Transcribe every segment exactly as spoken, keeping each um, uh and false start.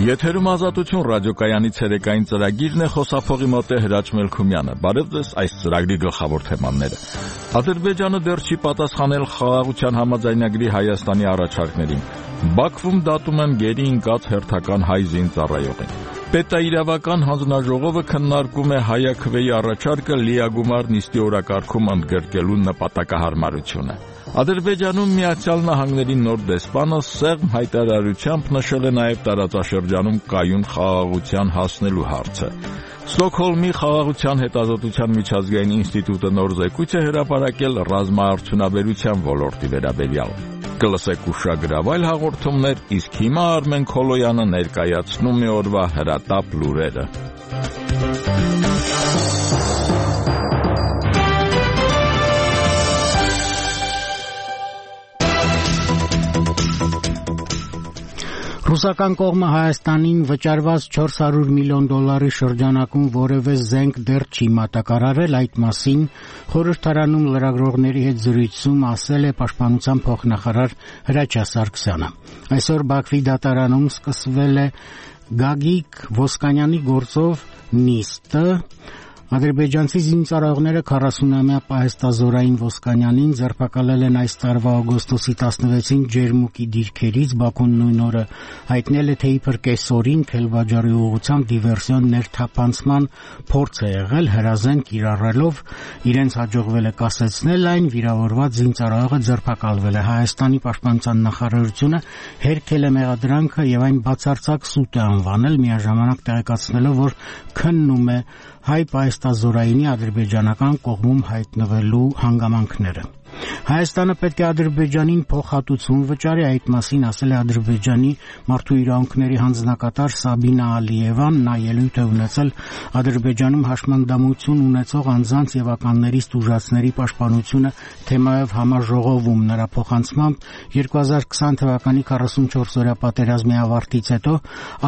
Եթերում ազատություն ռադիոկայանի ցերեկային ծրագիրն է, խոսափողի մոտ է Հրաչ Մելքումյանը։ Բարև ձեզ, այս ծրագրի գլխավոր թեմաները։ Ադրբեջանը դեռ չի պատասխանել խաղաղության համաձայնագրի Հայաստանի առաջարկներին։ Բաքվում դատում են գերի ընկած հերթական հայ զինծառայողին։ Պետաիրավական հանձնաժողովը քննարկում է Հայաքվեի առաջարկը լիագումար նիստի օրակարգում ընդգրկելու նպատակահարմարությունը։ Ադրբեջանում Միացյալ Նահանգների նոր դեսպանը սեղմ հայտարարությամբ նշել է նաև տարածաշրջանում կայուն խաղաղության հասնելու հարցը։ Ստոկհոլմի խաղաղության հետազոտության միջազգային ինստիտուտը նոր զեկույց է հրապարակել ռազմաարդյունաբերության ոլորտի վերաբերյալ։ Կլսեք ուշագրավայր հաղորդումներ, իսկ հիմա Արմեն Քոլոյանը ներկայացնում է օրվա հրատապ լուրերը։ Ռուսական կողմը Հայաստանին վճարված չորս հարյուր միլիոն դոլարի շրջանակում որևէ զենք դեռ չի մատակարարել, այդ մասին խորհրդարանում լրագրողների հետ զրույցում ասել է Պաշտպանության փոխնախարար Հրաչյա Սարգսյանը։ Այսօր Բաքվի դատարանում սկսվել է Գագիկ Ոսկանյանի գործով նիստը։ Ադրբեջանցի զինծառայողները քառասունամյա պահեստազորային Ոսկանյանին ձերբակալել են այս տարվա օգոստոսի տասնվեցին Ջերմուկի դիրքերից։ Բաքուն նույն օրը հայտնել է, թե իբր կեսօրին Քելբաջարի ուղղությամբ դիվերսիոն ներթափանցման փորձ է եղել, հրազեն կիրառելով, իրենց հաջողվել է կասեցնել այն, վիրավորված զինծառայողը ձերբակալվել է։ Հայաստանի պաշտպանության նախարարությունը հերքել է մեղադրանքը եւ այն բացարձակ սուտ է անվանել, միաժամանակ տեղեկացնելով, որ քննում է հայ պահեստազորայինի ադրբեջանական կողմում հայտնվելու հանգամանքները։ Հայաստանը պետք է Ադրբեջանին փոխհատուցում վճարի, այդ մասին ասել է Ադրբեջանի մարդու իրավունքների հանձնակատար Սաբինա Ալիևան, նա ելույթ է ունեցել Ադրբեջանում հաշմանդամություն ունեցող անձանց եւ ականներից տուժածների պաշտպանությունը թեմայով համաժողովում։ Նրա փոխանցմամբ երկու հազար քսան թվականի քառասունչորս-օրյա պատերազմի ավարտից հետո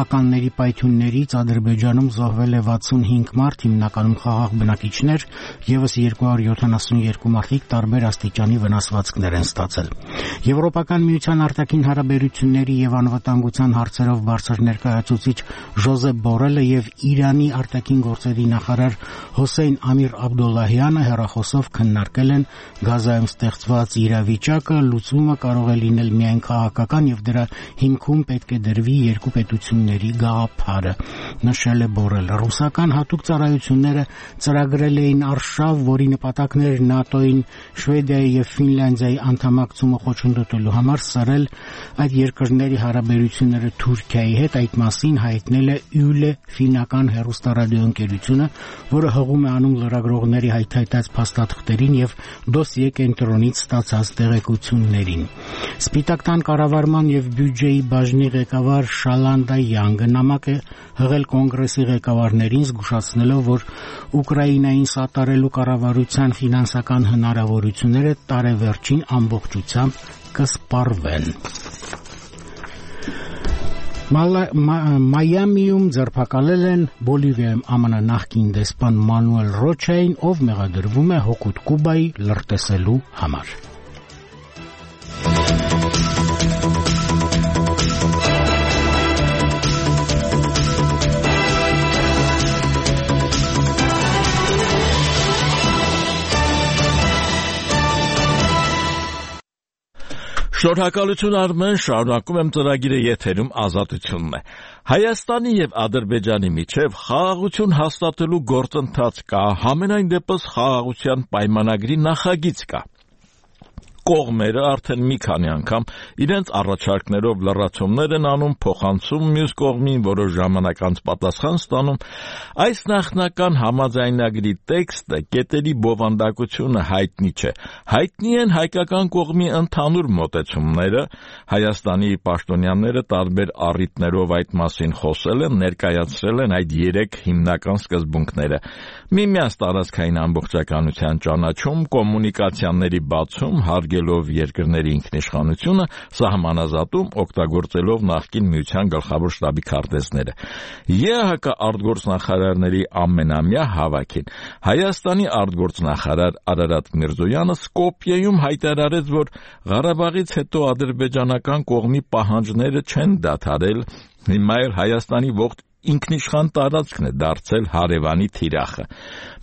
ականների պայթյուններից Ադրբեջանում զոհվել է վաթսունհինգ մարդ, հիմնականում խաղաղ բնակիչներ, եւս երկու հարյուր յոթանասունյոթ մարդիկ տարբեր աստիճանի վնասվածքներ են ստացել։ Եվրոպական միության արտաքին հարաբերությունների եւ անվտանգության հարցերով բարձր ներկայացուցիչ Ժոզեփ Բորելը եւ Իրանի արտաքին գործերի նախարար Հոսեյն Ամիր Աբդոլլահյանը հեռախոսով քննարկել են Գազայում ստեղծված իրավիճակը, լուծումը կարող է լինել միայն քաղաքական եւ դրա հիմքում պետք է դրվի երկու պետությունների գաղափարը, նշել է Բորելը։ Ռուսական հատուկ ծառայությունները ծրագրել էին արշավ, որի նպատակն էր ՆԱՏՕ-ին, Շվեդիայի եւ Ֆինլանդիայի անդամակցումը խոչընդոտելու համար սրել այդ երկրների հարաբերությունները Թուրքիայի հետ, այդ մասին հայտնել է Յուլե ֆինական հեռուստարադիոընկերությունը, որը հղում է անում լրագրողների հայթայթած փաստաթղթերին եւ դոսիե կենտրոնից ստացած տեղեկություններին։ Սպիտակ տան կառավարման եւ բյուջեի բաժնի ղեկավար Շալանդա Յանգը նամակ է հղել կոնգրեսի ղեկավարներին, զգուշացնելով, որ Ուկրաինային սատարելու կառավարության ֆինանսական հնարավորությունները տարեվերջին ամբողջությամբ կսպառվեն։ Մայամիում ձերբակալել են Բոլիվիայում ԱՄՆ նախկին դեսպան Մանուել Ռոչային, ով մեղադրվում է հօգուտ Կուբայի լրտեսելու համար։ Շնորհակալություն Արմեն, շարունակում եմ ծրագիրը, եթերում ազատությունն է։ Հայաստանի եւ Ադրբեջանի միջև խաղաղություն հաստատելու գործընթաց կա, համենայն դեպս խաղաղության պայմանագրի նախագիծ կա։ Կողմերը արդեն մի քանի անգամ իրենց առաջարկներով լրացումներ են անում, փոխանցում մյուս կողմին, որոշ ժամանակ անց պատասխան ստանում։ Այս նախնական համաձայնագրի տեքստը, կետերի բովանդակությունը հայտնի չէ։ Հայտնի են հայկական կողմի ընդհանուր մոտեցումները, Հայաստանի պաշտոնյաները տարբեր առիթներով այդ մասին խոսել են, ներկայացրել են այդ երեք հիմնական սկզբունքները՝ միմյանց տարածքային ամբողջականության ճանաչում, կոմունիկացիաների բացում, հարգ հարգելով երկրների ինքնիշխանությունը, սահմանազատում օգտագործելով նախկին միության գլխավոր շտաբի քարտեզները։ ԵԱՀԿ արտգործնախարարների ամենամյա հավաքին Հայաստանի արտգործնախարար Արարատ Միրզոյանը Սկոպիեում հայտարարեց, որ Ղարաբաղից հետո ադրբեջանական կողմի պահանջները չեն դադարել, հիմա էլ Հայաստանի ողջ ինքնիշխան տարածքն է դարձել հարևանի թիրախը։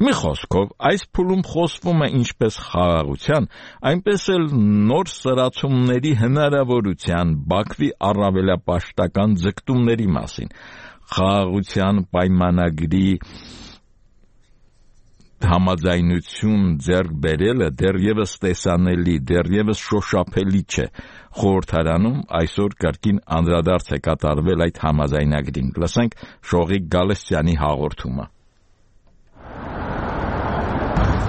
Մի խոսքով, այս փուլում խոսվում է ինչպես խաղաղության, այնպես էլ նոր սրացումների հնարավորության, Բաքվի առավելապաշտական ձգտումների մասին։ Խաղաղության պայմանագրի համաձայնություն ձեռք բերելը դեռևս տեսանելի, դեռևս շոշափելի չէ։ Խորհրդարանում այսօր կրկին անդրադարձ է կատարվել այդ համաձայնագրին։ Լսենք Շողիկ Գալստյանի հաղորդումը։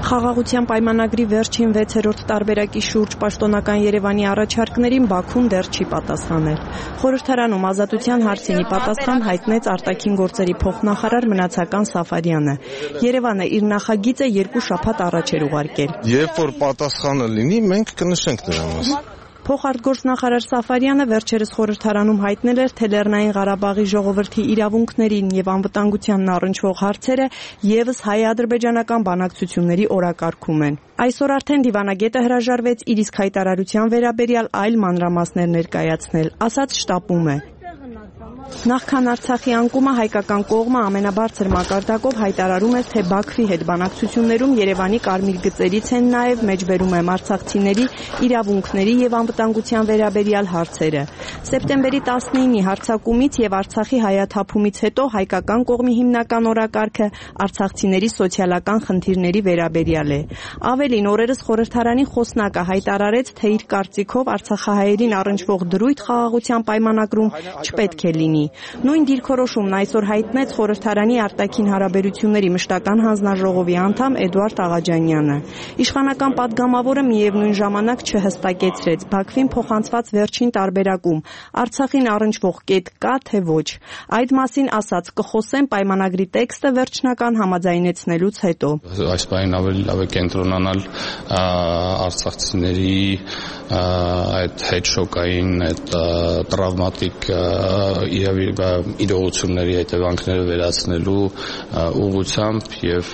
Խաղաղության պայմանագրի վերջին վեցերորդ տարբերակի շուրջ պաշտոնական Երևանի առաջարկներին Բաքուն դեռ չի պատասխանել։ Խորհրդարանում ազատության հարցինի պատասխան հայտնեց արտաքին գործերի փոխնախարար Մնացական Սաֆարյանը։ Երևանը իր նախագիծը երկու շաբաթ առաջ էր ուղարկել։ Երբ որ պատասխանը լինի, մենք կնշենք դրա մասին։ Փոխարտգործնախարար Սաֆարյանը վերջերս խորհրդարանում հայտնել էր, թե Լեռնային Ղարաբաղի ժողովրդի իրավունքներին եւ անվտանգությանն առնչվող հարցերը եւս հայ-ադրբեջանական բանակցությունների օրակարգում են։ Այսօր արդեն դիվանագետը հրաժարվեց իր իսկ հայտարարության վերաբերյալ այլ մանրամասներ ներկայացնել, ասաց շտապում է։ Նախքան Արցախի անկումը հայկական կողմը ամենաբարձր մակարդակով հայտարարում էր, թե Բաքվի հետ բանակցություններում Երևանի կարմիր գծերից են նաև մեջբերում եմ արցախցիների իրավունքների եւ անվտանգության վերաբերյալ հարցերը։ Սեպտեմբերի տասնինի հարձակումից եւ Արցախի հայաթափումից հետո հայկական կողմի հիմնական օրակարգը արցախցիների սոցիալական խնդիրների վերաբերյալ է։ Ավելին, օրերս խորհրդարանի խոսնակը հայտարարեց, թե իր կարծիքով արցախահայերին առնչվող դրույթ խաղաղության պայմանագրում չպետք է լինի։ Նույն դիրքորոշումն այսօր հայտնեց խորհրդարանի արտաքին հարաբերությունների մշտական հանձնաժողովի անդամ Էդուարդ Աղաջանյանը։ Իշխանական падգամավորը միևնույն ժամանակ չհստակեցրեց Բաքվին փոխանցված վերջին տարբերակում Արցախին առնչվող կետ կա թե ոչ։ Այդ մասին ասաց կխոսեն պայմանագրի տեքստը վերջնական համաձայնեցնելուց հետո։ Այս բանին ավելի լավ է կենտրոնանալ արցախցիների այդ հետշոկային, այդ տրավմատիկ իրողությունների հետևանքները վերացնելու ուղղությամբ եւ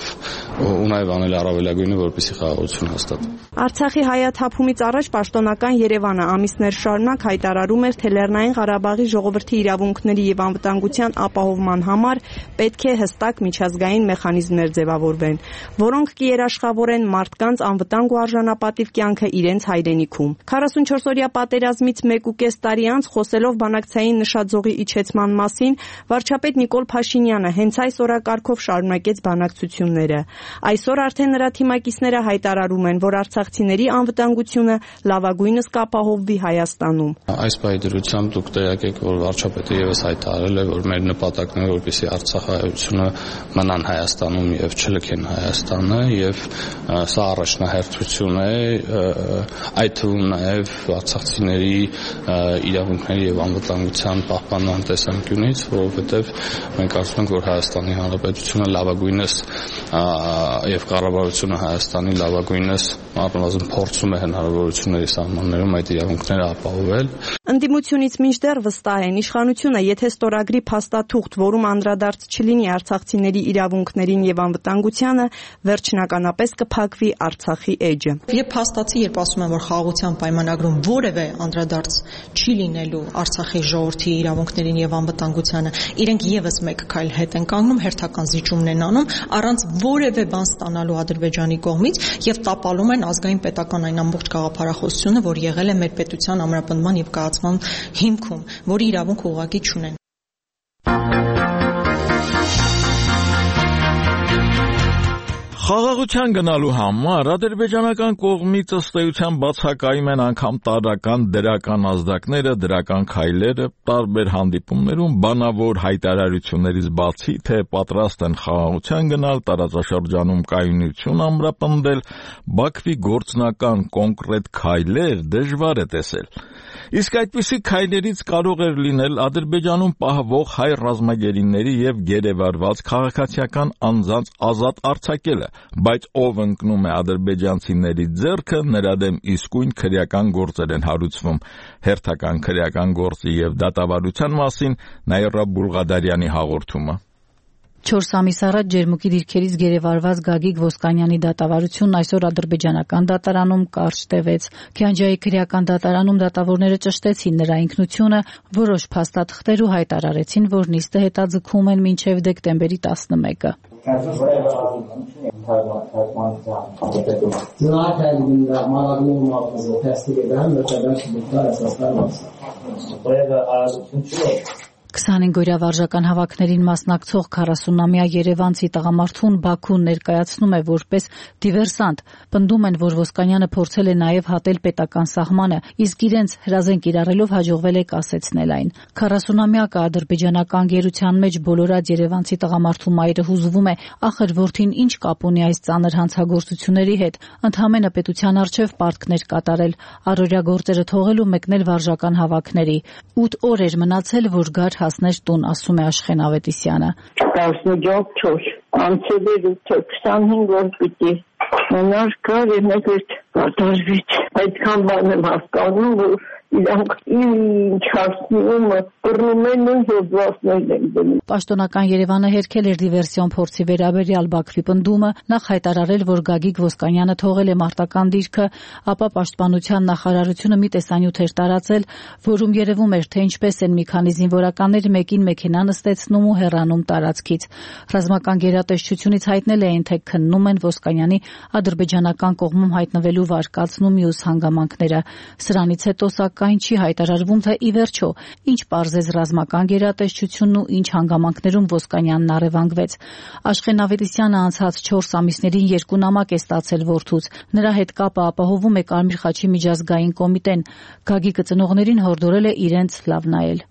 ու նաեւ անել առավելագույնը, որպեսզի խաղաղություն հաստատվի։ Արցախի հայաթափումից առաջ պաշտոնական Երևանը ամիսներ շարունակ հայտարարում էր, թե Լեռնային Ղարաբաղի ժողովրդի իրավունքների եւ անվտանգության ապահովման համար պետք է հստակ միջազգային մեխանիզմներ ձևավորվեն, որոնք կերաշխավորեն մարդկանց անվտանգ ու արժանապատիվ կյանքը իրենց հայրենիքում։ քառասունչորսօրյա պատերազմից մեկ ու կես տարի անց խոսելով բանակցային նշաձողի իջեցման մասին, վարչապետ Նիկոլ Փաշինյանը հենց այս օրակարգով շարունակեց բանակցությունները։ Այսօր արդեն նրա թիմակիցները հայտարարում են, որ արցախցիների անվտանգությունը լավագույնս կապահովվի Հայաստանում։ Այս պայդրությամբ դուք տեղյակ եք, որ վարչապետը եւս հայտարարել է, որ մեր նպատակն է, որպեսզի արցախահայությունը մնան Հայաստանում եւ չլքեն Հայաստանը, եւ սա առաջնահերթություն է, այդ թվում նաեւ արցախցիների իրավունքների եւ անվտանգության պահպանման տեսանկյունից, որովհետեւ մենք կարծում ենք, որ Հայաստանի Հանրապետությունը լավագույնս եւ կառավարությունը Հայաստանի լավագույնս առնվազն փորձում է հնարավորությունների սահմաններում այդ իրավունքները ապահովել։ Ընդդիմությունից մինչդեռ վստահ են, իշխանությունը, եթե ստորագրի փաստաթուղթ, որում անդրադարձ չլինի արցախցիների իրավունքներին եւ անվտանգությանը, վերջնականապես կփակվի Արցախի էջը։ Երբ փաստացի, երբ ասում են, որ խաղաղության պայմանագրում որևէ անդրադարձ չի լինելու Արցախի ժողովրդի իրավունքներին եւ անվտանգությանը, իրենք եւս մեկ քայլ հետ են կանգնում, հերթական զիջումն են անում, առանց որևէ բան ստանալու Ադրբեջանի կողմից եւ տապալում են ազգային պետական այն ամբողջ գաղափարախոսությունը, որ եղել է մեր պետության ամրապնդման եւ կայացման հիմքում, որի իրավունք ուղղակի չունեն։ Խաղաղության գնալու համար ադրբեջանական կողմից ըստ էության բացակայում են անգամ տարրական դրական ազդակները, դրական քայլերը, տարբեր հանդիպումներում բանավոր հայտարարություններից բացի, թե պատրաստ են խաղաղության գնալ, տարածաշրջանում կայունություն ամրապնդել, Բաքվի գործնական կոնկրետ քայլեր դժվար է տեսել։ Իսկ այդպիսի քայլերից կարող էր լինել Ադրբեջանում պահվող հայ ռազմագերիների եւ գերեվարված քաղաքացիական անձանց ազատ արձակելը, բայց ով ընկնում է ադրբեջանցիների ձեռքը, նրա դեմ իսկույն քրեական գործեր են հարուցվում։ Հերթական քրեական գործի եւ դատավարության մասին Նաիրա Բուլղադարյանի հաղորդումը։ Չորս ամիս առաջ Ջերմուկի դիրքերից գերեվարված Գագիկ Ոսկանյանի դատավարությունն այսօր ադրբեջանական դատարանում կարճ տևեց։ Քյանջայի քրեական դատարանում դատավորները ճշտեցին նրա ինքնությունը, որոշ փաստաթղթեր ու հայտարարեցին, որ նիստը հետաձգում են մինչև դեկտեմբերի տասնմեկը։ քսանհինգ-օրյա վարժական հավաքներին մասնակցող քառասունամյա երևանցի տղամարդուն Բաքուն ներկայացնում է որպես դիվերսանտ։ Պնդում են, որ Ոսկանյանը փորձել է նաև հատել պետական սահմանը, իսկ իրենց հրազեն կիրառելով հաջողվել է կասեցնել այն։ քառասունամյակը ադրբեջանական գերության մեջ բոլորած երևանցի տղամարդու մայրը հուզվում է, ախր որդին ինչ կապ ունի այս ծանր հանցագործությունների հետ, ընդհանրապես պետության առջև պարտքներ կատարել, առօրյա գործերը թողել ու մեկնել վարժական հավաքների։ ութ օր էր մնացել, որ գար հասներ տուն, ասում է Աշխեն Ավետիսյանը։ տասնչորս անցել էր քսանհինգ օր պիտի մնար կար և մեկ էր կատարվեց։ Այդքան բան եմ հասկանում, որ իրանք ինչ հասնումը կռնում են ու հոդվածներ են դնում։ Պաշտոնական Երևանը հերքել էր դիվերսիոն փորձի վերաբերյալ Բաքվի պնդումը, նախ հայտարարել, որ Գագիկ Ոսկանյանը թողել է մարտական դիրքը, ապա Պաշտպանության նախարարությունը մի տեսանյութ էր տարածել, որում երևում էր, թե ինչպես են մի քանի զինվորականներ մեկին մեքենա նստեցնում ու հեռանում տարածքից։ Ռազմական գերատեսչությունից հայտնել էին, թե քննում են Ոսկանյանի ադրբեջանական կողմում հայտնվելու վարկածն ու մյուս հանգամանքները։ Սրանից հետո սակայն չի հայտարարվում, թե ի վերջո ինչ պարզեց ռազմական գերատեսչությունն ու ինչ հանգամանքներում Ոսկանյանն առևանգվեց։ Աշխեն Ավետիսյանը անցած չորս ամիսներին երկու նամակ է ստացել որդուց։ Նրա հետ կապը ապահովում է Կարմիր խաչի միջազգային կոմիտեն։ Գագիկը ծնողներին հորդորել է իրենց լավ նայել։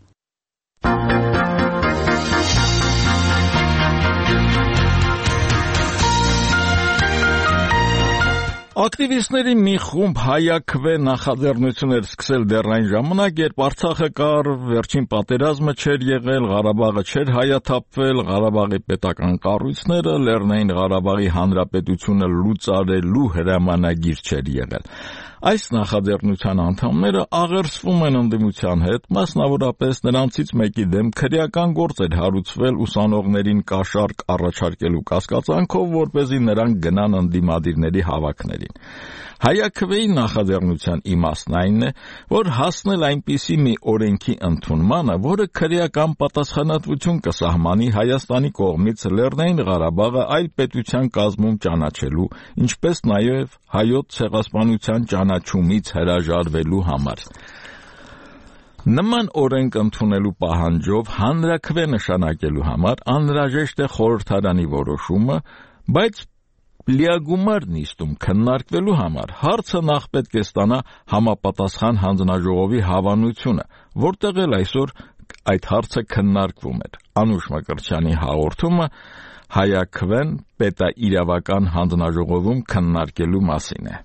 Ակտիվիստների մի խումբ հայաքվե նախաձեռնություններ սկսել դեռ այն ժամանակ, երբ Արցախը կար, վերջին պատերազմը չէր եղել, Ղարաբաղը չէր հայաթափվել, Ղարաբաղի պետական կառույցները, Լեռնային Ղարաբաղի Հանրապետությունը լուծարելու հրամանագիր չէր եղել։ Այս նախաձեռնության անդամները աղերսվում են ընդդիմության հետ, մասնավորապես նրանցից մեկի դեմ քրեական գործ էր հարուցվել ուսանողներին կաշառք առաջարկելու կասկածանքով, որպեսզի նրանք գնան ընդդիմադիրների հավաքներին։ Հայաքվեի նախաձեռնության իմաստն այն է, որ հասնել այնպիսի մի օրենքի ընդունմանը, որը քրեական պատասխանատվություն կսահմանի Հայաստանի կողմից Լեռնային Ղարաբաղը այլ պետության կազմում ճանաչելու, ինչպես նաև հայոց ցեղասպանության ճանաչումից հրաժարվելու համար։ Նման օրենք ընդունելու պահանջով հանրաքվե նշանակելու համար անհրաժեշտ է խորհրդարանի որոշումը, բայց լիագումար նիստում քննարկվելու համար հարցը նախ պետք է ստանա համապատասխան հանձնաժողովի հավանությունը, որտեղ էլ այսօր այդ հարցը քննարկվում էր։ Անուշ Մկրտչյանի հաղորդումը հայաքվեն պետաիրավական հանձնաժողովում քննարկելու մասին է։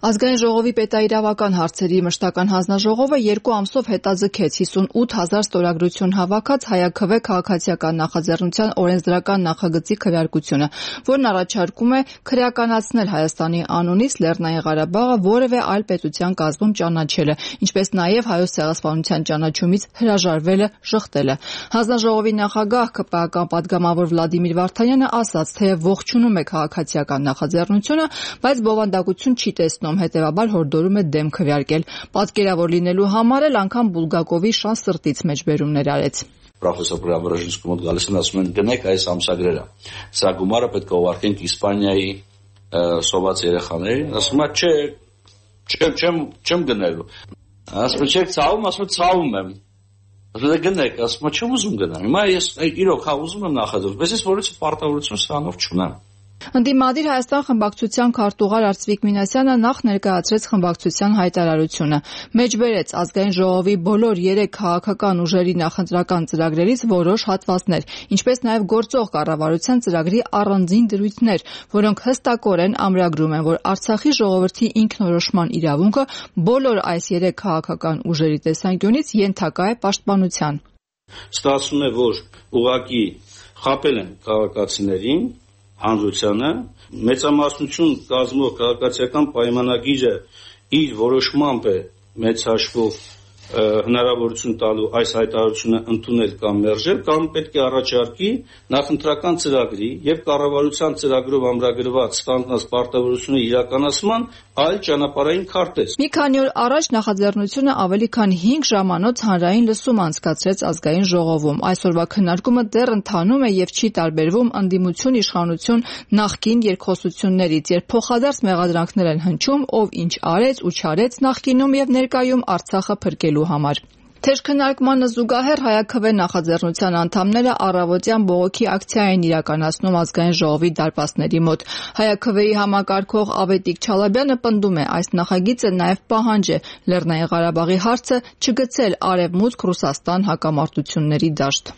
Ազգային ժողովի պետաիրավական հարցերի մշտական հանձնաժողովը երկու ամսով հետաձգեց հիսունութ հազար ստորագրություն հավաքած հայաքվե քաղաքացիական նախաձեռնության օրենսդրական նախագծի քվեարկությունը, որն առաջարկում է քրեականացնել Հայաստանի անունից Լեռնային Ղարաբաղը որևէ այլ պետության կազմում ճանաչելը, ինչպես նաև հայոց ցեղասպանության ճանաչումից հրաժարվելը, շղթելը։ Հանձնաժողովի նախագահ ԿՊԱ-ական պատգամավոր Վլադիմիր Վարդանյանը ասաց, թե ողջունում է քաղաքացիական նախաձեռնությունը, բայց բովանդակություն չի տեսնում, հետևաբար հորդորում է դեմ քվեարկել։ Պատկերավոր լինելու համար էլ անգամ Բուլգակովի շան սրտից մեջբերումներ արեց։ Պրոֆեսոր Պրիաբրաժինսկու մոտ գալիս են, ասում են գնեք այս ամսագրերը։ Սա գումարը պետք է ուղարկենք Իսպանիայի սոված երեխաներին, ասում է չէ, չեմ չեմ չեմ գնելու։ Ասում է չեք ցավում, ասում է ցավում եմ։ Ասում է գնեք, ասում է չեմ ուզում գնալ։ Հիմա ես իրոք հա ուզում եմ նախաձեռնել, բայց ես որից պարտավորություն սրանով չունեմ։ Ընդդիմադիր Հայաստան խմբակցության քարտուղար Արծվիկ Մինասյանը նախ ներկայացրեց խմբակցության հայտարարությունը, մեջբերեց ազգային ժողովի բոլոր երեք քաղաքական ուժերի նախընտրական ծրագրերից որոշ հատվածներ, ինչպես նաև գործող կառավարության ծրագրի առանձին դրույթներ, որոնք հստակորեն ամրագրում են, որ Արցախի ժողովրդի ինքնորոշման իրավունքը բոլոր այս երեք քաղաքական ուժերի տեսանկյունից ենթակա է պաշտպանության։ Ստացվում է, որ ուղղակի խաբել են քաղաքացիներին հանրությանը մեծամասնություն կազմող քաղաքացիական պայմանագիրը իր որոշմամբ է մեծ հաշվով հնարավորություն տալու այս հայտարարությունը ընդունել կամ մերժել, կամ պետք է առաջարկի նախընտրական ծրագրի եւ կառավարության ծրագրով ամրագրված ստանձնած պարտավորությունը իրականացման այլ ճանապարհային քարտեզ։ Մի քանի օր առաջ նախաձեռնությունը ավելի քան հինգ ժամանոց հանրային լսում անցկացրեց ազգային ժողովում։ Այսօրվա քննարկումը դեռ ընթանում է եւ չի տարբերվում ընդդիմություն իշխանություն նախկին երկխոսություններից, երբ փոխադարձ մեղադրանքներ են հնչում, ով ինչ արեց ու չարեց նախկինում եւ ներկայում Արցախը փրկելու համար։ Թեժ քննարկմանը զուգահեռ Հայաքվե նախաձեռնության անդամները առավոտյան բողոքի ակցիա են իրականացնում ազգային ժողովի դարպասների մոտ։ Հայաքվեի համակարգող Ավետիք Չալաբյանը պնդում է, այս նախագիծը նաև պահանջ է Լեռնային Ղարաբաղի հարցը չգցել Արևմուտք Ռուսաստան հակամարտությունների դաշտ։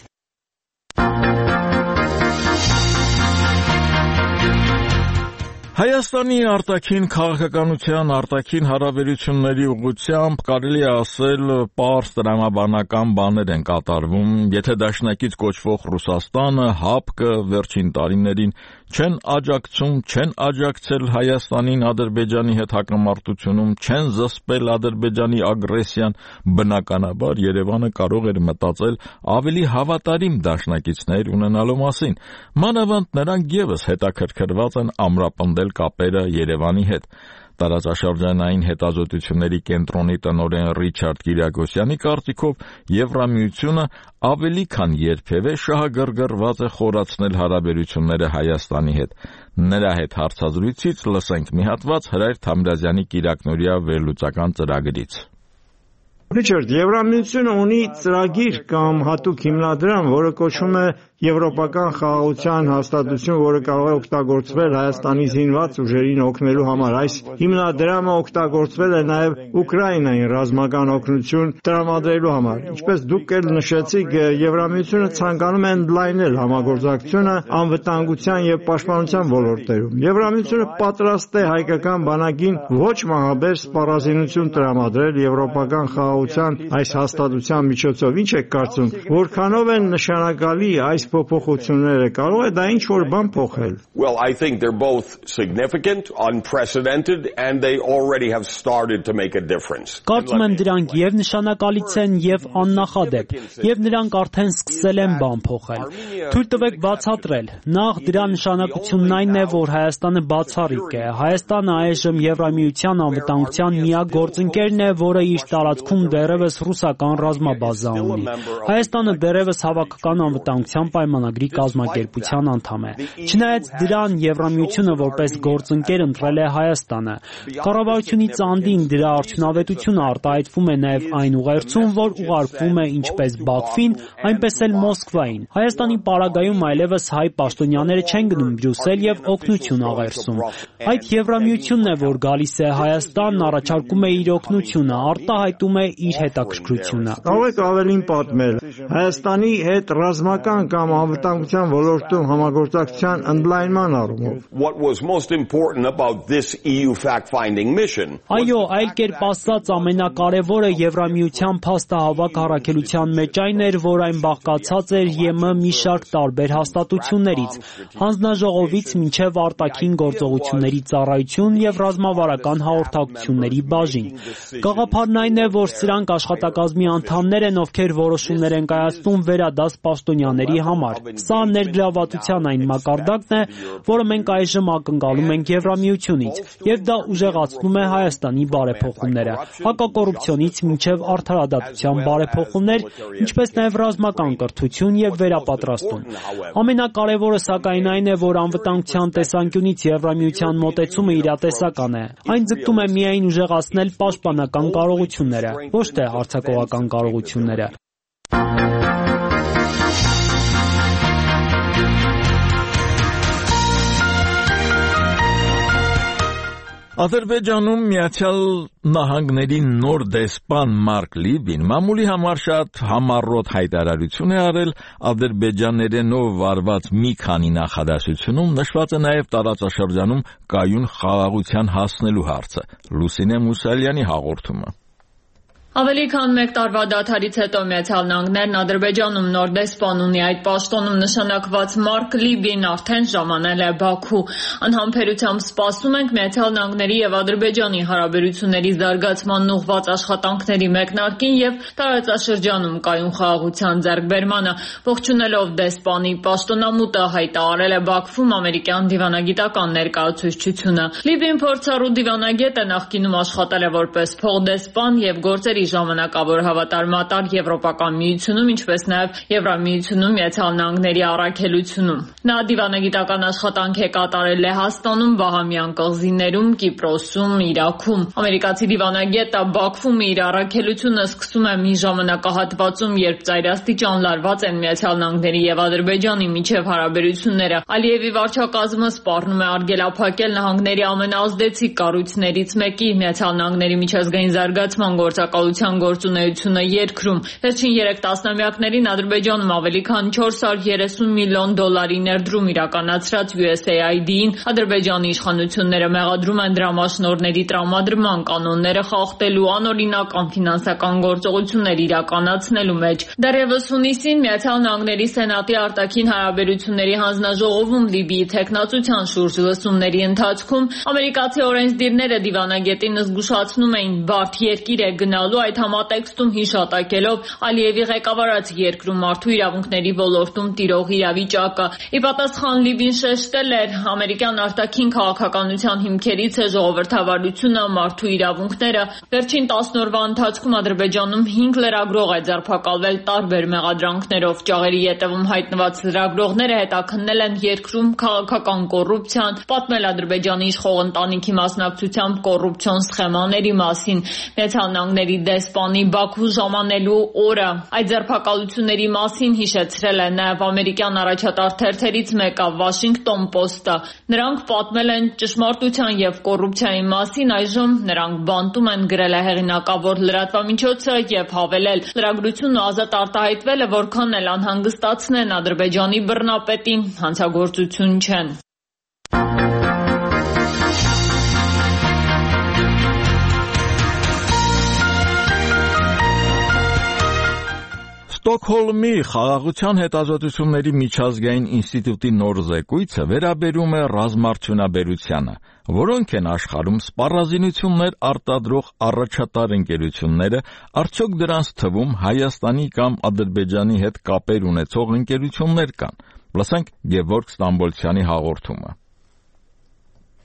Հայաստանի արտաքին քաղաքականության արտաքին հարաբերությունների ուղղությամբ կարելի է ասել պարզ տրամաբանական բաներ են կատարվում, եթե դաշնակից կոչվող Ռուսաստանը, ՀԱՊԿ վերջին տարիներին չեն աջակցում, չեն աջակցել Հայաստանին Ադրբեջանի հետ հակամարտությունում, չեն զսպել Ադրբեջանի ագրեսիան, բնականաբար Երևանը կարող էր մտածել ավելի հավատարիմ դաշնակիցներ ունենալու մասին։ Մանավանդ նրանք ևս հետաքրքրված են ամրապնդել կապերը Երևանի հետ։ Տարածաշրջանային հետազոտությունների կենտրոնի տնօրեն Ռիչարդ Կիրակոսյանի կարծիքով Եվրամիությունը ավելի քան երբևէ շահագրգռված է խորացնել հարաբերությունները Հայաստանի հետ։ Նրա հետ հարցազրույցից լսենք մի հատված Հրայր Թամրազյանի կիրակնօրյա վերլուծական ծրագրից։ Ռիչարդ, Եվրամիությունը ունի ծրագիր կամ հատուկ հիմնադրամ, որը կոչվում է Եվրոպական խաղաղության հաստատություն, որը կարող է օգտագործվել Հայաստանի զինված ուժերին օգնելու համար։ Այս հիմնադրամը օգտագործվել է նաև Ուկրաինային ռազմական օգնություն տրամադրելու համար։ Ինչպես դուք էլ նշեցիք, Եվրամիությունը ցանկանում է ընդլայնել համագործակցությունը անվտանգության եւ պաշտպանության ոլորտերում։ Եվրամիությունը պատրաստ է հայկական բանակին ոչ մահաբեր սպառազինություն տրամադրել Եվրոպական խաղաղության այս հաստատության միջոցով։ Ինչ եք կարծում, որքանով են նշանակալի այս փոփոխությունները, կարող է դա ինչ-որ բան փոխել։ Well, I think they're both significant, unprecedented, and they already have started to make a difference. Կարծում եմ դրանք եւ նշանակալից են եւ աննախադեպ, եւ նրանք արդեն սկսել են բան փոխել։ Թույլ տվեք բացատրել։ Նախ դրա նշանակությունն այն է, որ Հայաստանը բացառիկ է։ Հայաստանը այժմ Եվրամիության անվտանգության միակ գործընկերն է, որը իր տարածքում դեռևս ռուսական ռազմաբազա ունի։ Հայաստանը դեռևս հավաքական անվտանգության պայմանագրի կազմակերպության անդամ է։ Չնայած դրան Եվրամիությունը որպես գործընկեր ընտրել է Հայաստանը։ Կառավարությունից անդին դրա արդյունավետությունը արտահայտվում է նաև այն ուղերձում, որ ուղարկվում է ինչպես Բաքվին, այնպես էլ Մոսկվային։ Հայաստանի պարագայում այլևս հայ պաշտոնյաները չեն գնում Բրյուսել եւ օգնություն աղերսում։ Այդ Եվրամիությունն է, որ գալիս է Հայաստան, առաջարկում է իր օգնությունը, արտահայտում է իր հետաքրքրությունը։ Կարող եք ավելին պատմել Հայաստանի հետ ռազմական կամ անվտանգության ոլորտում համագործակցության ընդլայնման առումով։ What was most important about this E U fact-finding mission? Այո, այլ կերպ ասած, ամենակարևորը Եվրամիության փաստահավաք առաքելության մեջ այն էր, որ այն բաղկացած էր ԵՄ մի շարք տարբեր հաստատություններից, հանձնաժողովից մինչև արտաքին գործողությունների ծառայություն եւ ռազմավարական հաղորդակցությունների բաժին։ Գաղափարն այն է, որ սրանք աշխատակազմի անդամներ են, ովքեր որոշումներ են կայացնում վերադաս պաշտոնյաների համար։ Սա ներգրավվածության այն մակարդակն է, որը մենք այժմ ակնկալում ենք Եվրամիությունից, եւ դա ուժեղացնում է Հայաստանի բարեփոխումները, հակակոռուպցիոնից մինչև արդարադատության բարեփոխումներ, ինչպես նաեւ ռազմական կրթություն եւ վերապատրաստում։ Ամենակարևորը սակայն այն է, որ անվտանգության տեսանկյունից Եվրամիության մոտեցումը իրատեսական է։ Այն ձգտում է միայն ուժեղացնել պաշտպանական կարողությունները, ոչ թե հարձակողական կարողությունները։ Ադրբեջանում Միացյալ Նահանգների նոր դեսպան Մարկ Լիբին մամուլի համար շատ համառոտ հայտարարություն է արել ադրբեջաներենով վարված մի քանի նախադասությունում նշված է նաև տարածաշրջանում կայուն խաղաղության հասնելու հարցը։ Լուսինե Մուսալյանի հաղորդումը։ Ավելի քան մեկ տարվա դադարից հետո Միացյալ Նահանգներն Ադրբեջանում նոր դեսպան ունի։ Այդ պաշտոնում նշանակված Մարկ Լիբին արդեն ժամանել է Բաքու։ Անհամբերությամբ սպասում ենք Միացյալ Նահանգների եւ Ադրբեջանի հարաբերությունների զարգացման ուղղված աշխատանքների մեկնարկին եւ տարածաշրջանում կայուն խաղաղության ձեռքբերմանը։ Ողջունելով դեսպանի պաշտոնամուտը հայտարարել է Բաքվում ամերիկյան դիվանագիտական ներկայացուցչությունը։ Լիբին փորձառու դիվանագետ է, նախկինում աշխատել է որպես փոխդեսպան եւ գործերի ժամանակավոր հավատարմատար Եվրոպական միությունում, ինչպես նաև Եվրամիությունում Միացյալ Նահանգների առաքելությունում։ Նա դիվանագիտական աշխատանք է կատարել Լեհաստանում, Բահամյան կղզիներում, Կիպրոսում, Իրաքում։ Ամերիկացի դիվանագետը Բաքվում իր առաքելությունը սկսում է մի ժամանակահատվածում, երբ ծայրաստիճան լարված են Միացյալ Նահանգների եւ Ադրբեջանի միջև հարաբերությունները։ Ալիևի վարչակազմը սպառնում է արգելափակել նահանգների ամենաազդեցիկ կառույցներից մեկի Միացյալ Նահանգների միջազգային զարգացման գործակալության գործունեությունը երկրում։ Վերջին երեք տասնամյակներին Ադրբեջանում ավելի քան չորս հարյուր երեսուն միլիոն դոլարի ներդրում իրականացրած յու էս էյ այ դի-ին Ադրբեջանի իշխանությունները մեղադրում են դրամաշնորհների տրամադրման կանոնները խախտելու, անօրինական ֆինանսական գործողություններ իրականացնելու մեջ։ Դեռևս հունիսին Միացյալ Նահանգների Սենատի արտաքին հարաբերությունների հանձնաժողովում Լիբիի թեկնածության շուրջ լսումների ընթացքում ամերիկացի օրենսդիրները դիվանագետին զգուշացնում էին բարդ երկիր է գնալու, այդ համատեքստում հիշատակելով Ալիևի ղեկավարած երկրում մարդու իրավունքների ոլորտում տիրող իրավիճակը։ Ի պատասխան Լիբին շեշտել էր, ամերիկյան արտաքին քաղաքականության հիմքերից է ժողովրդավարությունը, մարդու իրավունքները։ Վերջին տասն օրվա ընթացքում Ադրբեջանում հինգ լրագրող է ձերբակալվել տարբեր մեղադրանքներով։ Ճաղերի ետևում հայտնված լրագրողները հետաքննել են երկրում քաղաքական կոռուպցիան, պատմել Ադրբեջանի իշխող ընտանիքի մասնակցությամբ կոռուպցիոն սխեմաների մասին։ Միացյալ Նահանգների դեսպանի Բաքու ժամանելու օրը այդ ձերբակալությունների մասին հիշեցրել է նաև ամերիկյան առաջատար թերթերից մեկը Washington Post-ը։ Նրանք պատմել են ճշմարտության եւ կոռուպցիայի մասին, այժմ նրանք բանտում են, գրել է հեղինակավոր լրատվամիջոցը եւ հավելել. լրագրությունն ազատ արտահայտվելը որքան էլ անհանգստացնեն Ադրբեջանի բռնապետին, հանցագործություն չեն։ Ստոկհոլմի խաղաղության հետազոտությունների միջազգային ինստիտուտի նոր զեկույցը վերաբերում է ռազմարդյունաբերությանը, որոնք են աշխարհում սպառազինություններ արտադրող առաջատար ընկերությունները, արդյոք դրանց թվում Հայաստանի կամ Ադրբեջանի հետ կապեր ունեցող ընկերություններ կան։ Լսենք Գևորգ Ստամբոլցյանի հաղորդումը։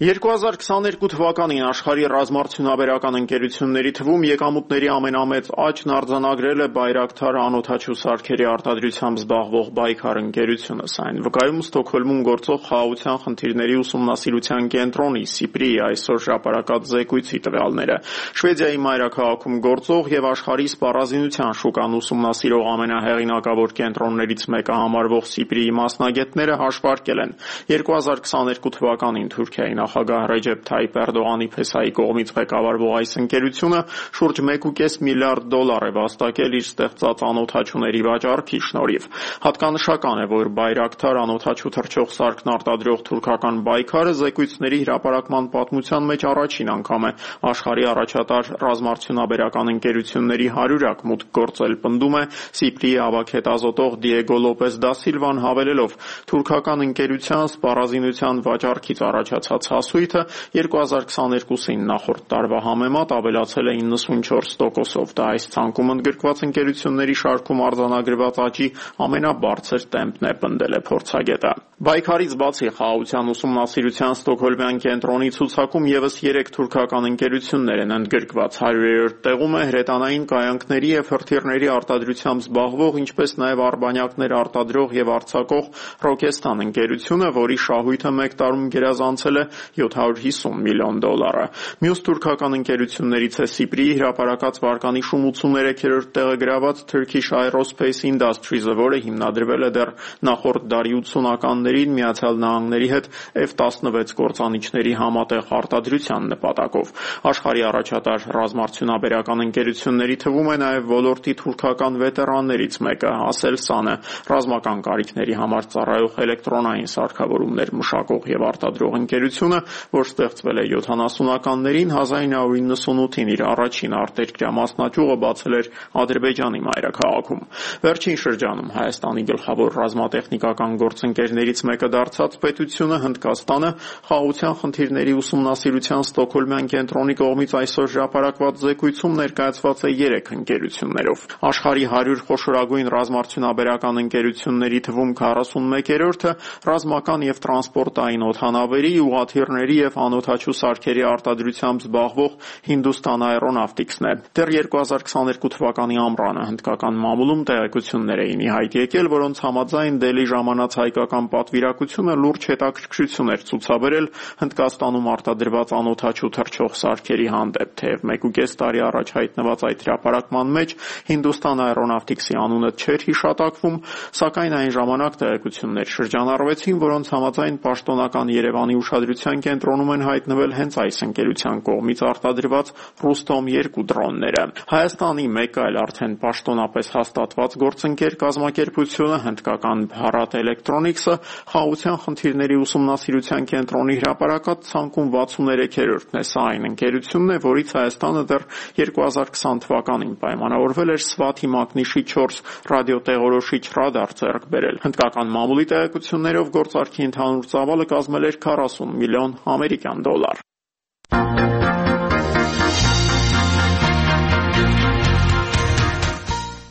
երկու հազար քսաներկու թվականին աշխարհի ռազմարդյունաբերական ընկերությունների թվում եկամուտների ամենամեծ աճն արձանագրել է Բայրակթար անօդաչու սարքերի արտադրությամբ զբաղվող Բայքար ընկերությունը։ Սա այն վկայում Ստոկհոլմում գործող խաղաղության խնդիրների ուսումնասիրության կենտրոնի Սիպրիի այսօր հրապարակած զեկույցի տվյալները։ Շվեդիայի մայրաքաղաքում գործող եւ աշխարհի սպառազինության շուկան ուսումնասիրող ամենահեղինակավոր կենտրոններից մեկը համարվող Սիպրիի մասնագետները հաշվարկել են երկու հազար քսաներկու թվականին Թուրքիայի նախագահ Ռեջեփ Թայիփ Էրդողանի փեսայի կողմից ղեկավարվող այս ընկերությունը շուրջ մեկ ու կես միլիարդ դոլար է վաստակել իր ստեղծած անօդաչուների վաճառքի շնորհիվ։ Հատկանշական է, որ Բայրակթար անօդաչու թռչող սարքն արտադրող թուրքական Բայքարը զեկույցների հրապարակման պատմության մեջ առաջին անգամ է աշխարհի առաջատար ռազմարդյունաբերական ընկերությունների հարյուրակ մուտք գործել, պնդում է Սիպրիի ավագ հետազոտող Դիեգո Լոպես դա Սիլվան հավելելով. թուրքական ընկերության սպառազինության վաճառքից առաջացած հասույթը երկու հազար քսաներկուսին նախորդ տարվա համեմատ ավելացել է իննսունչորս տոկոսով։ Դա այս ցանկում ընդգրկված ընկերությունների շարքում արձանագրված աճի ամենաբարձր տեմպն է, պնդել է փորձագետը։ Բայքարից բացի խաղաղության ուսումնասիրության Ստոկհոլմյան կենտրոնի ցուցակում եւս երեք թուրքական ընկերություններ են ընդգրկված։ հարյուրերորդ տեղում է հրետանային կայանքների եւ հրթիռների արտադրությամբ զբաղվող, ինչպես նաեւ արբանյակներ արտադրող եւ արձակող Ռոկեստան ընկերությունը, որի շահույթը մեկ տարում գերազանցել է յոթ հարյուր հիսուն միլիոն դոլարը։ Մյուս թուրքական ընկերություններից է Սիպրիի հրապարակած վարկանիշում ութսուներեքերորդ տեղը գրաված Turkish Aerospace Industries-ը, որը հիմնադրվել է դեռ նախորդ դարի ութսունականներին Միացյալ Նահանգների հետ F տասնվեց կործանիչների համատեղ արտադրության նպատակով։ Աշխարհի առաջատար ռազմարդյունաբերական ընկերությունների թվում է նաև ոլորտի թուրքական վետերաններից մեկը Aselsan-ը, ռազմական կարիքների համար ծառայող էլեկտրոնային սարքավորումներ մշակող եւ արտադրող ընկերությունը, պետությունը, որ ստեղծվել է յոթանասունականներին, հազար իննսուն իննսունութին իր առաջին արտերկրյա մասնաճյուղը բացել էր Ադրբեջանի մայրաքաղաքում։ Վերջին շրջանում Հայաստանի գլխավոր ռազմատեխնիկական գործընկերներից մեկը դարձած պետությունը Հնդկաստանը խաղաղության խնդիրների ուսումնասիրության Ստոկհոլմյան կենտրոնի կողմից այսօր հրապարակված զեկույցում ներկայացված է երեք ընկերություններով։ Աշխարհի հարյուր խոշորագույն ռազմարդյունաբերական ընկերությունների թվում քառասունմեկերորդը ռազմական եւ տրանսպորտային օդանավերի, ուղղաթիռների եւ անօդաչու սարքերի արտադրությամբ զբաղվող Hindustan Aeronautics-ն է։ Դեռ երկու հազար քսաներկու թվականի ամռանը հնդկական մամուլում տեղեկություններ էին ի հայտ եկել, որոնց համաձայն Դելի ժամանած հայկական պատվիրակությունը լուրջ հետաքրքրություն էր ցուցաբերել Հնդկաստանում արտադրված անօդաչու թռչող սարքերի հանդեպ, թեև մեկուկես տարի առաջ հայտնված այդ հրապարակման մեջ Hindustan Aeronautics-ի անունը չէր հիշատակվում, սակայն այն ժամանակ տեղեկություններ շրջանառվեցին, որոնց համաձայն պաշտոնական Երևանի ուշադրության կենտրոնում են հայտնվել հենց այս ընկերության կողմից արտադրված Ռուստոմ երկու դրոնները։ Հայաստանի մեկ այլ արդեն պաշտոնապես հաստատված գործընկեր կազմակերպությունը հնդկական Bharat Electronics-ը խաղաղության խնդիրների ուսումնասիրության կենտրոնի հրապարակած ցանկում վաթսուններեքերորդն է։ Սա այն ընկերությունն է, որից Հայաստանը դեռ երկու հազար քսան թվականին պայմանավորվել էր Swati մակնիշի չորս ռադիոտեղորոշիչ ռադար ձեռք բերել։ Հնդկական մամուլի տեղեկություններով գործարքի ընդհանուր ծավալը կազմել էր քառասուն միլիոն ամերիկյան դոլար։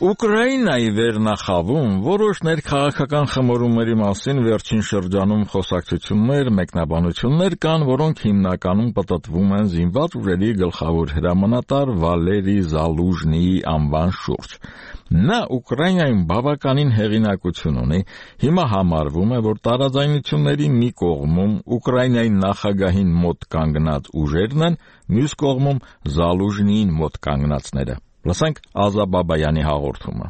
Ուկրաինայի վերնախավում որոշ ներքաղաքական խմորումների մասին վերջին շրջանում խոսակցություններ, մեկնաբանություններ կան, որոնք հիմնականում պտտվում են զինված ուժերի գլխավոր հրամանատար Վալերի Զալուժնիի անվան շուրջ։ Նա Ուկրաինայում բավականին հեղինակություն ունի, հիմա համարվում է, որ տարաձայնությունների մի կողմում Ուկրաինայի նախագահին մոտ կանգնած ուժերն են, մյուս կողմում Զալուժնիին մոտ կանգնածները։ Լսենք Ազա Բաբայանի հաղորդումը։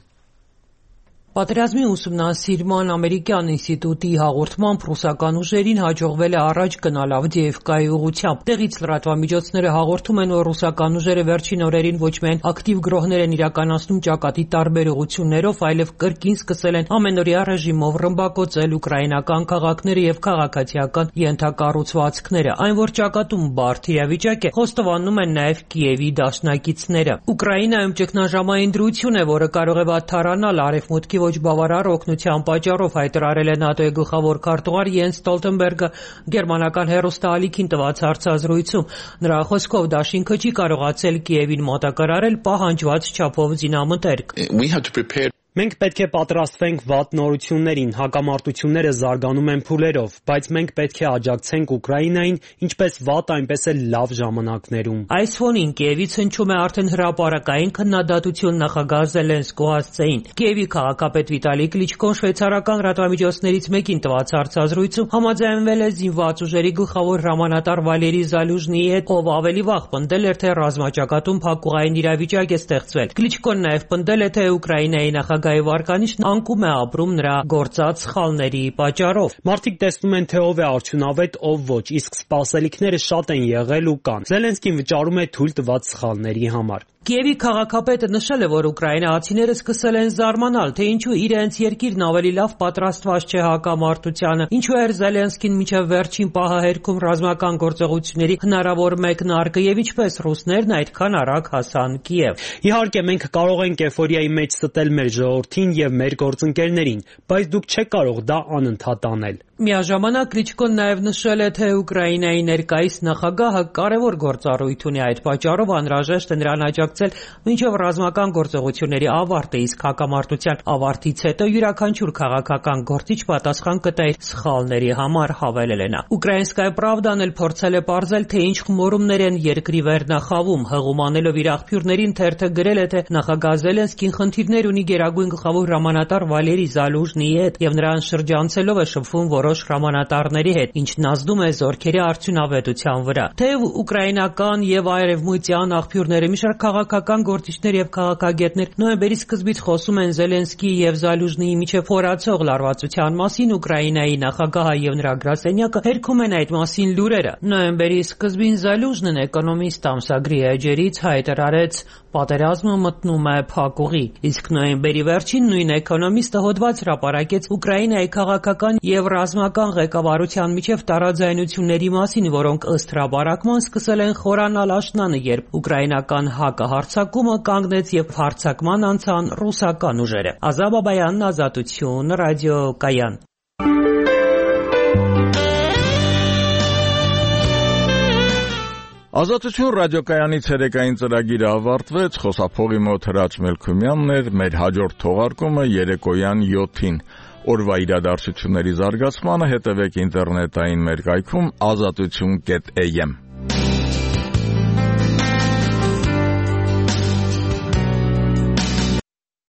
Պատերազմի ուսումնասիրման ամերիկյան ինստիտուտի հաղորդմամբ ռուսական ուժերին հաջողվել է առաջ գնալ Ավդիևկայի ուղղությամբ։ Տեղից լրատվամիջոցները հաղորդում են, որ ռուսական ուժերը վերջին օրերին ոչ միայն ակտիվ գրոհներ են իրականացնում ճակատի տարբեր ուղղություններով, այլև կրկին սկսել են ամենօրյա ռեժիմով ռմբակոծել ուկրաինական քաղաքները եւ քաղաքացիական ենթակառուցվածքները։ Այն, որ ճակատում բարդ իրավիճակ է, խոստովանում են նաեւ Կիևի դաշնակիցները։ Ուկրաինայում ճգնաժամային դրություն է, որը կարող է վատթարանալ արևմուտքի ոչ բավարար օգնության պատճառով, հայտարարել է ՆԱՏՕ-ի գլխավոր քարտուղար Յենս Ստոլտենբերգը գերմանական հեռուստաալիքին տված հարցազրույցում։ Նրա խոսքով դաշինքը չի կարողացել Կիևին մոտակարարել պահանջված չափով զինամթերք։ Մենք պետք է պատրաստվենք վատ նորություններին, հակամարտությունները զարգանում են փուլերով, բայց մենք պետք է աջակցենք Ուկրաինային ինչպես վատ, այնպես էլ լավ ժամանակներում։ Այս ֆոնին Կիևից հնչում է արդեն հրապարակային քննադատություն նախագահ Զելենսկու հասցեին։ Կիևի քաղաքապետ Վիտալի Կլիչկոն շվեյցարական լրատվամիջոցներից մեկին տված հարցազրույցում համաձայնվել է զինված ուժերի գլխավոր հրամանատար Վալերի Զալուժնիի հետ, ով ավելի վաղ պնդել էր, թե ռազմաճակատում փակուղային իրավիճակ է ստեղծվել։ Կլիչկոն նաև պնդել է, թե Ուկրաինայի նախագահ Գայի վարկանիշն անկում է ապրում նրա գործած սխալների պատճառով։ Մարդիկ տեսնում են, թե ով է արդյունավետ, ով ոչ, իսկ սպասելիքները շատ են եղել ու կան։ Զելենսկին վճարում է թույլ տված սխալների համար։ Կիևի քաղաքապետը նշել է, որ ուկրաինացիները սկսել են զարմանալ, թե ինչու իրենց երկիրն ավելի լավ պատրաստված չէ հակամարտությանը, ինչու էր Զելենսկին մինչև վերջին պահը հերքում ռազմական գործողությունների հնարավոր մեկնարկը եւ ինչպես ռուսներն այդքան արագ հասան Կիև։ Իհարկե, մենք կարող ենք էֆորիայի մեջ ստել մեր ժողովրդին եւ մեր գործընկերներին, բայց դուք չեք կարող դա անընդհատ անել։ Միաժամանակ Կլիչկոն նաև նշել է, թե Ուկրաինայի ներկայիս նախագահը կարևոր գործառույթ ունի, այդ պատճառով անհրաժեշտ է նրան աջակցել մինչև ռազմական գործողությունների ավարտը, իսկ հակամարտության ավարտից հետո յուրաքանչյուր քաղաքական գործիչ պատասխան կտա իր սխալների համար, հավելել է նա։ Ուկրաինսկայա Պրավդան էլ փորձել է պարզել, թե ինչ խմորումներ են երկրի վերնախավում, հղումանելով իր աղբյուրներին թերթը գրել է, թե նախագահ Զելենսկին խնդիրներ ունի գերագույն գլխավոր հրամանատար Վալերի Զալուժնիի հետ եւ նրան շրջանցելով է շփվում որոշ հրամանատարների հետ, ինչն ազդում է զորքերի արդյունավետության վրա։ Թեև ուկրաինական եւ արևմտյան աղբյուրները մի շարք քաղաքական գործիչներ եւ քաղաքագետներ նոյեմբերի սկզբից խոսում են Զելենսկիի եւ Զալուժնիի միջև խորացող լարվածության մասին, Ուկրաինայի նախագահը եւ նրա գրասենյակը հերքում են այդ մասին լուրերը։ Նոյեմբերի սկզբին Զալուժնին Էկոնոմիստ ամսագրի էջերից հայտարարեց. Պատերազմը մտնում է փակուղի։ Իսկ նոյեմբերի վերջին նույն էկոնոմիստը հոդված հրապարակեց Ուկրաինայի քաղաքական եւ ռազմական ղեկավարության միջև տարաձայնությունների մասին, որոնք ըստ հրապարակման սկսել են խորանալ աշնանը, երբ ուկրաինական հակահարձակումը կանգնեց եւ հարձակման անցան ռուսական ուժերը։ Ազատ Բաբայանն, Ազատություն, ռադիոկայան։ Ազատություն ռադիոկայանի ցերեկային ծրագիրը ավարտվեց, խոսափողի մոտ Հրաչ Մելքումյանն էր, մեր հաջորդ թողարկումը երեկոյան յոթին։ Օրվա իրադարձությունների զարգացմանը հետևեք ինտերնետային մեր կայքում ազատություն կետ էյ էմ։